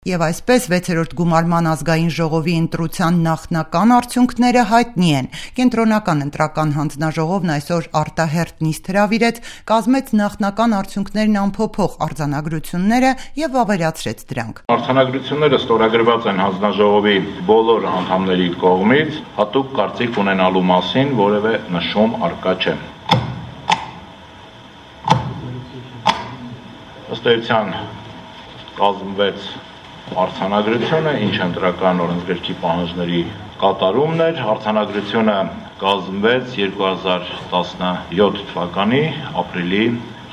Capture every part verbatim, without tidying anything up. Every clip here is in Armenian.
Եվ այսպես վեցերորդ գումարման ազգային ժողովի ընտրության նախնական արդյունքները հայտնի են։ Կենտրոնական ընտրական հանձնաժողովն այսօր արտահերթ նիստ հրավիրեց, կազմեց նախնական արդյունքներն ամփոփող արձանագրությունները եւ վավերացրեց դրանք։ Արձանագրությունները ստորագրված են հանձնաժողովի բոլոր անդամների կողմից, հատուկ կարծիք ունենալու մասին որևէ նշում առկա չէ։ Ըստ էության կազմվեց արձանագրությունը, ինչ ընտրական օրենսգրքի պահանջների կատարումն էր, արձանագրությունը կազմվեց երկու հազար տասնյոթ թվականի ապրիլի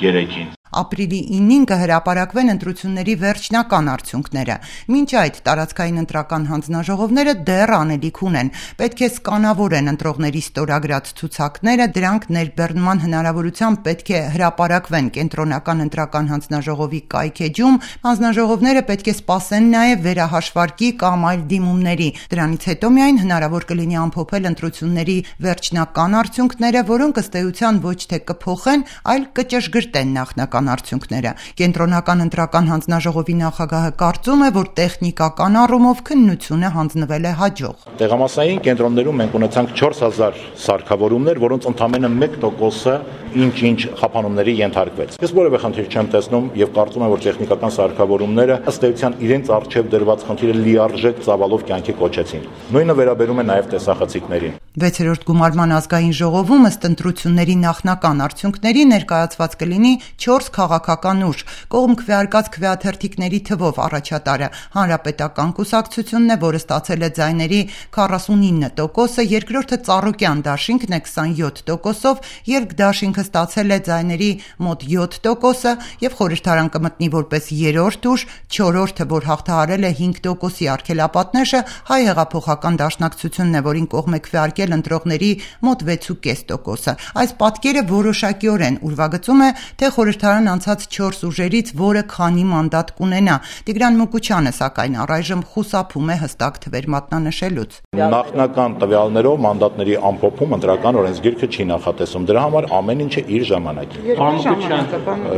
երեքին։ Ապրիլի ինին կհրապարակվեն ընտրությունների վերջնական արդյունքները։ Մինչ այդ տարածքային ընտրական հանձնաժողովները դեռ անելիք ունեն։ Պետք է սկանավորեն ընտրողների ստորագրած ցուցակները, դրանք ներբեռնման հնարավորությամբ պետք է հրապարակվեն կենտրոնական ընտրական հանձնաժողովի կայքեջում, հանձնաժողովները պետք է սպասեն նաև վերահաշվարկի կամ այլ դիմումների։ Դրանից հետո միայն հնարավոր կլինի ամփոփել ընտրությունների վերջնական արդյունքները, որոնք ըստ էության ոչ թե կփոխեն, այլ կճշգրտեն նախնական արդյունքները։ Կենտրոնական ընտրական հանձնաժողովի նախագահը կարծում է, որ տեխնիկական առումով քննությունը հանձնվել է հաջող։ Տեղամասային կենտրոններում մենք ունեցանք չորս հազար սարքավորումներ, որոնց ընդամենը մեկ տոկոսը ինչ-ինչ խափանումների ենթարկվեց։ Ես որևէ խնդիր չեմ տեսնում եւ կարծում եմ, որ տեխնիկական սարքավորումները ըստ էության իրենց արժեվ դրված խնդիրը լիարժեք ծավալով կյանքի կոչեցին։ Նույնը վերաբերում է նաեւ տեսախցիկներին։ Վեցերորդ գումարման ազգային ժողովում ըստ ընտրությունների նախնական արդյունքների ներկայացված կլինի չորս քաղաքական ուժ, կողմ քվեարկած քվեաթերթիկների թվով առաջատարը Հանրապետական կուսակցությունն է, որը ստացել է ձայների քառասունինը տոկոսը, երկրորդը Ծառուկյան դաշինքն է քսանյոթ տոկոսով, երկդաշինքը ստացել է ձայների մոտ յոթ տոկոսը եւ խորհրդարան կմտնի որպես երրորդ ուժ, չորրորդը, որ հաղթահարել է հինգ տոկոսի արգելապատնեշը, Հայ հեղափոխական դաշնակցությունն է, որին կողմ է քվեարկել ընտրողների մոտ վեց ու կես տոկոսը։ Այս պատկերը որոշակիորեն ուրվագծում է, թե խորհրդարան անցած չորս ուժերից որը քանի մանդատ կունենա։ Տիգրան Մուկուչյանը սակայն առայժմ խուսափում է հստակ թվեր մատնանշելուց։ Նախնական տվյալներով մանդատների ամփոփում ընտրական օրենսգիրքը չի նախատեսում։ Դրա համար ամեն ինչը իր ժամանակին։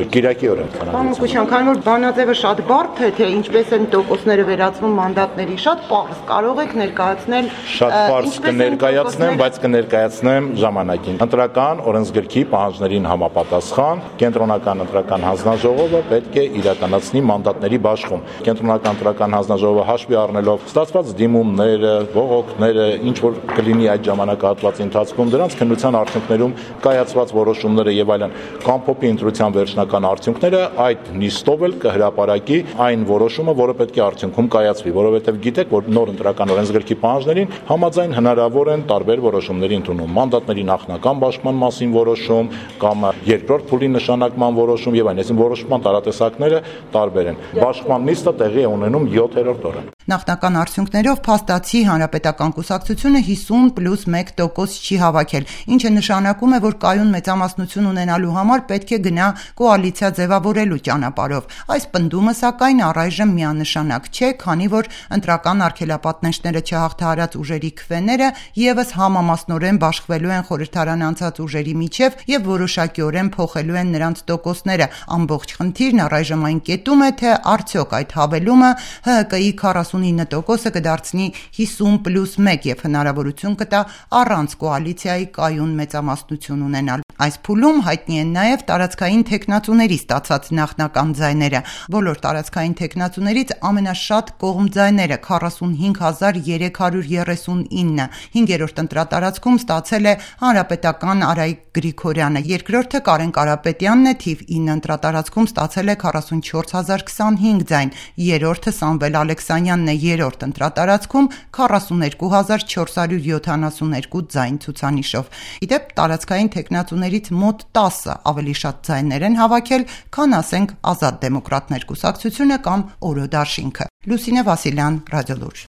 Կիրակի օրը։ Պարոն Մուկուչյան, քանի որ բանաձևը շատ բարդ է, թե ինչպես են տոկոսները վերածվում մանդատների, շատ պարզ կարող եք ներկայացնել։ Շատ պարզ կներկայացնեմ, բայց կներկայացնեմ ժամանակին։ Ընտրական օրենսգրքի պահանջներին համապատասխան կենտրոնական ընտրական հանձնաժողովը պետք է իրականացնի մանդատների բաշխում։ Կենտրոնական ընտրական հանձնաժողովը հաշվի առնելով ստացված դիմումները, բողոքները, ինչ որ կլինի այդ ժամանակահատվածի ընթացքում, դրանց քննության արդյունքներում կայացված որոշումները եւ այլն, կամփոփի ընտրության վերջնական արդյունքները, այդ նիստով էլ կհրապարակի այն որոշումը, որը պետք է արդյունքում կայացվի, որովհետեւ գիտեք, որ նոր ընտրական օրենսգրքի պահանջներին համաձայն հնարավոր են տարբեր որոշումների ընդունում։ Մանդատների նախնական բաշխման մասին որոշում կամ երկրորդ փուլի նշանակման որոշում եւ այլն, այսինքն որոշման տարատեսակները տարբեր են։ Բաշխման նիստը տեղի է ունենում յոթերորդ օրը։ Նախնական արդյունքներով փաստացի Հանրապետական կուսակցությունը հիսուն պլյուս մեկ տոկոս չի հավաքել, ինչը նշանակում է, որ կայուն մեծամասնություն ունենալու համար պետք է գնա կոալիցիա ձևավորելու ճանապարհով։ Այս պնդումը սակայն առայժմ միանշանակ չէ, քանի որ ընտրական արգելապատնեշները չհաղթահարած ուժերի քվեները եւս համամասնորեն բաշխվելու են խորհրդարան անցած ուժերի միջև եւ որոշակիորեն փոխելու են նրանց տոկոսները։ Ամբողջ խնդիրն առայժմ այն կետում է, թե արդյոք այդ հավելումը Հ Հ Կ-ի քառասունինը տոկոսը կդարձնի հիսուն պլյուս մեկ եւ հնարավորություն կտա առանց կոալիցիայի կայուն մեծամասնություն ունենալ։ Այս փուլում հայտնի են նաեւ տարածքային թեկնածուների ստացած նախնական ձայները։ Բոլոր տարածքային թեկնածուներից ամենաշատ կողմ ձայները քառասունհինգ հազար երեք հարյուր երեսունինը, հինգերորդ ընտրատարածքում ստացել է Հանրապետական Արայիկ Գրիգորյանը, երկրորդը Կարեն Կարապետյանն է, թիվ ինը ընտրատարածքում ստացել է քառասունչորս հազար քսանհինգ ձայն, երրորդը Սամվել Ալեքսանյանն է, երրորդ ընտրատարածքում քառասուներկու հազար չորս հարյուր յոթանասունհինգ ձայն ցուցանիշով։ Իդեպ տարածքային թեկնածուներից մոտ տասը ավելի շատ ձայներ են հավաքել, քան ասենք Ազատ դեմոկրատներ կուսակցությունը կամ Օրո դաշինքը։ Լուսինե Վասիլյան, Ռադիոլուր։